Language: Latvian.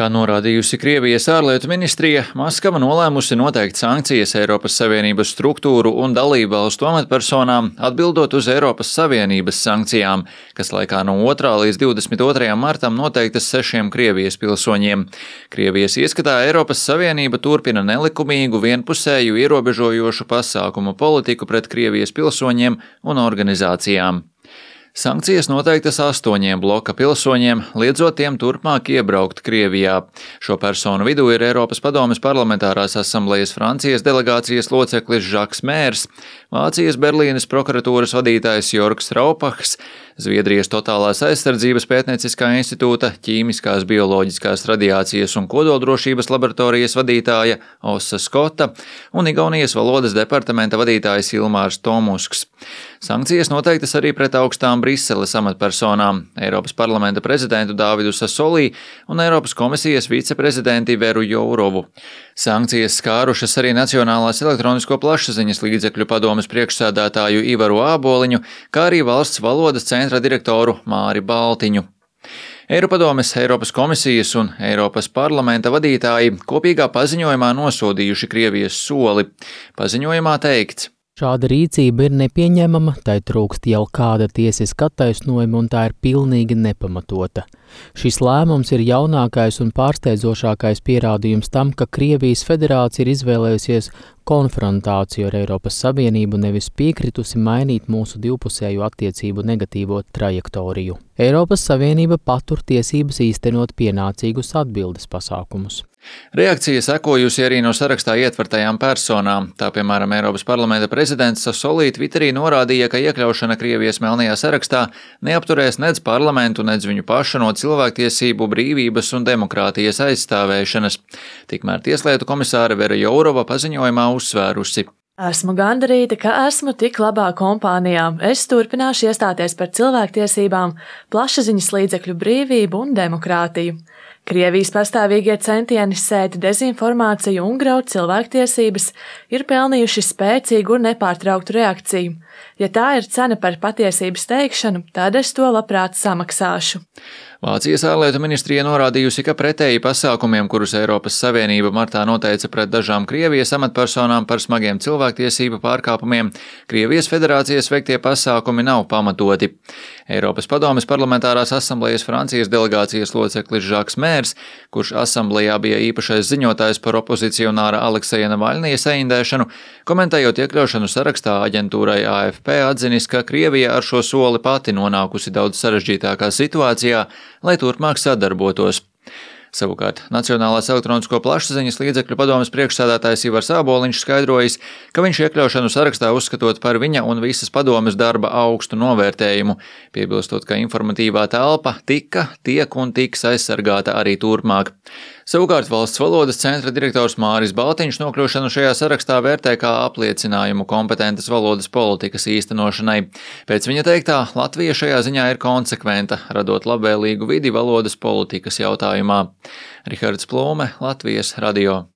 Kā norādījusi Krievijas ārlietu ministrija, Maskava nolēmusi noteikt sankcijas Eiropas Savienības struktūru un dalībvalstu amatpersonām, atbildot uz Eiropas Savienības sankcijām, kas laikā no 2. līdz 22. martam noteiktas 6 Krievijas pilsoņiem. Krievijas ieskatā Eiropas Savienība turpina nelikumīgu, vienpusēju, ierobežojošu pasākumu politiku pret Krievijas pilsoņiem un organizācijām. Sankcijas noteiktas 8 bloka pilsoņiem, liedzot tiem turpmāk iebraukt Krievijā. Šo personu vidū ir Eiropas Padomes parlamentārās asamblejas Francijas delegācijas loceklis Žaks Mērs, Vācijas Berlīnes prokuratūras vadītājs Jorgs Raupachs, Zviedrijas Totālās aizsardzības pētnieciskā institūta ķīmiskās, bioloģiskās radiācijas un kodoldrošības laboratorijas vadītāja Osa Skota un Igaunijas valodas departamenta vadītājs Ilmārs Tomusks. Sankcijas noteiktas arī pret augstām Briseles amatpersonām – Eiropas parlamenta prezidentu Dāvidu Sasolī un Eiropas komisijas viceprezidenti Veru Jourovu. Sankcijas skārušas arī Nacionālās elektronisko plašsaziņas līdzekļu padomes priekšsēdētāju Ivaru Āboliņu, kā arī valsts valodas centra direktoru Māri Baltiņu. Eiropadomes, Eiropas komisijas un Eiropas parlamenta vadītāji kopīgā paziņojumā nosodījuši Krievijas soli. Paziņojumā teikts: Šāda rīcība ir nepieņemama, tai trūkst jau kāda tiesiska attaisnojuma un tā ir pilnīgi nepamatota. Šis lēmums ir jaunākais un pārsteidzošākais pierādījums tam, ka Krievijas federācija ir izvēlējusies konfrontāciju ar Eiropas Savienību, nevis piekritusi mainīt mūsu divpusēju attiecību negatīvo trajektoriju. Eiropas Savienība patur tiesības īstenot pienācīgus atbildes pasākumus. Reakcija sekojusi arī no sarakstā ietvertajām personām. Tā, piemēram, Eiropas parlamenta prezidents Sasolī Twitterī norādīja, ka iekļaušana Krievijas melnajā sarakstā neapturēs nedz parlamentu, nedz viņu pašu no cilvēktiesību, brīvības un demokrātijas aizstāvēšanas. Tikmēr tieslietu komisāre Vera Jourova paziņojumā uzsvērusi: Esmu gandarīta, ka esmu tik labā kompānijā. Es turpināšu iestāties par cilvēktiesībām, plašsaziņas līdzekļu brīvību un demokrātiju. Krievijas pastāvīgie centieni sēt dezinformāciju un graut cilvēktiesības ir pelnījuši spēcīgu un nepārtrauktu reakciju. Ja tā ir cena par patiesības teikšanu, tad es to labprāt samaksāšu. Vācijas ārlietu ministrija norādījusi, ka pretēji pasākumiem, kurus Eiropas Savienība martā noteica pret dažām Krievijas amatpersonām par smagiem cilvēktiesību pārkāpumiem, Krievijas federācijas veiktie pasākumi nav pamatoti. Eiropas Padomes parlamentārās asamblejas Francijas delegācijas loceklis Žaks Mērs, kurš asamblejā bija īpašais ziņotājs par opozicionāra Alekseja Navaļnija saindēšanu, komentējot iekļaušanu sarakstā aģentūrai AFP, atzinis, ka Krievija ar šo soli pati nonākusi daudz sarežģītākā situācijā, lai turpmāk sadarbotos. Savukārt Nacionālās elektronisko plašsaziņas līdzekļu padomes priekšsēdētājs Ivars Āboliņš skaidrojis, ka viņš iekļaušanu sarakstā uzskatot par viņa un visas padomes darba augstu novērtējumu, piebilstot, ka informatīvā telpa tiek un tiks aizsargāta arī turpmāk. Savukārt valsts valodas centra direktors Māris Baltiņš nokļūšanu šajā sarakstā vērtē kā apliecinājumu kompetentas valodas politikas īstenošanai. Pēc viņa teiktā, Latvija šajā ziņā ir konsekventa, radot labvēlīgu vidi valodas politikas jautājumā. Rihards Plūme, Latvijas radio.